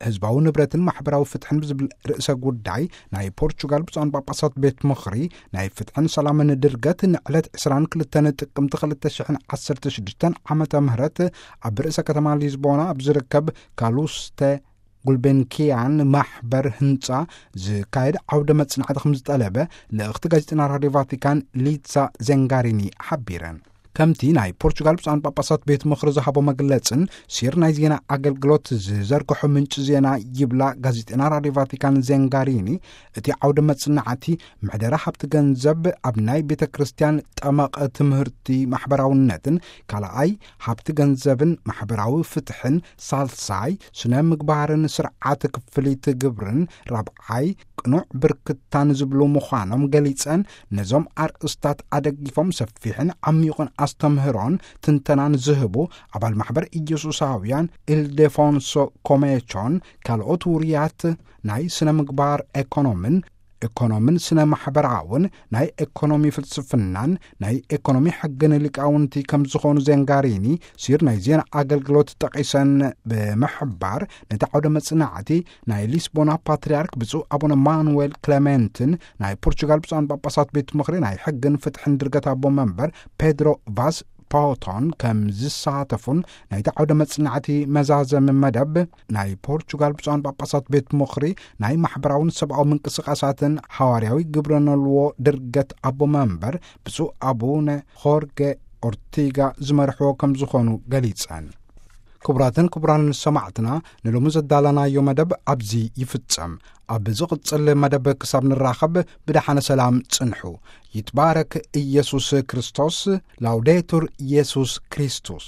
ህዝባዊ ንብረትን ማሕበራዊ ፍትሕን ብዝብል ርእሰ ጉዳይ ናይ ፖርቹጋል ብፁዓን ጳጳሳት ቤት ምኽሪ ናይ ፍትሕን ሰላምን ድርገት ንዕለት ዕስራን ክልተን ጥቅምቲ ክልተ ሽሕን ዓሰርተ ሽዱሽተን ዓመተ ምህረት ኣብ ርእሰ ከተማ ሊዝቦና ኣብ ዝርከብ ካሉስተ ጉልቤንኪያን ማሕበር ህንጻ ዝካየድ ዓውደ መጽናዕቲ ከም ዝጠለበ ልእኽቲ ጋዜጠና ራድዮ ቫቲካን ሊሳ ዜንጋሪኒ ሓቢረን። ከምቲ ናይ ፖርቹጋል ብፁዓን ጳጳሳት ቤት ምኽሪ ዝሃቦ መግለጽን ሲር ናይ ዜና ኣገልግሎት ዝዘርግሖ ምንጭ ዜና ይብላ ጋዜጠና ራድዮ ቫቲካን ዜንጋሪኒ፣ እቲ ዓውደ መጽናዕቲ ምሕደራ ሃብቲ ገንዘብ ኣብ ናይ ቤተ ክርስቲያን ጠመቐ ትምህርቲ ማሕበራውነትን፣ ካልኣይ ሃብቲ ገንዘብን ማሕበራዊ ፍትሕን፣ ሳልሳይ ስነ ምግባርን ስርዓት ክፍሊት ግብርን፣ ራብዓይ ቅኑዕ ብርክታን ዝብሉ ምዃኖም ገሊጸን፣ ነዞም ኣርእስታት ኣደጊፎም ሰፊሕን ዓሚቑን ኣስተምህሮን ትንተናን ዝህቡ ኣባል ማሕበር ኢየሱሳውያን ኢልዴፎንሶ ኮሜቾን ካልኦት ውሩያት ናይ ስነ ምግባር ኤኮኖምን ኤኮኖምን ስነ ማሕበራውን ናይ ኤኮኖሚ ፍልስፍናን ናይ ኤኮኖሚ ሕግን ሊቃውንቲ ከም ዝኾኑ ዜንጋሪኒ ሲር ናይ ዜና ኣገልግሎት ጠቒሰን ብምሕባር፣ ነቲ ዓውደ መጽናዕቲ ናይ ሊስቦና ፓትርያርክ ብፁዕ ኣቡነ ማኑዌል ክለሜንትን ናይ ፖርቹጋል ብፁዓን ጳጳሳት ቤት ምኽሪ ናይ ሕግን ፍትሕን ድርገት ኣቦ መንበር ፔድሮ ቫዝ ፓውቶን ከም ዝሳተፉን፣ ናይቲ ዓውደ መጽናዕቲ መዛዘሚ መደብ ናይ ፖርቹጋል ብፁዓን ጳጳሳት ቤት ምኽሪ ናይ ማሕበራውን ሰብኣዊ ምንቅስቃሳትን ሓዋርያዊ ግብረ ነልዎ ድርገት ኣቦ መንበር ብፁዕ ኣቡነ ሆርጌ ኦርቲጋ ዝመርሕዎ ከም ዝኾኑ ገሊጸን። ክቡራትን ክቡራንን ሰማዕትና፣ ንሎሚ ዘዳለናዮ መደብ ኣብዚ ይፍጸም። ኣብ ዝቕጽል መደብ ክሳብ ንራኸብ ብደሓነ ሰላም ጽንሑ። ይትባረክ ኢየሱስ ክርስቶስ። ላውዴቱር ኢየሱስ ክርስቶስ።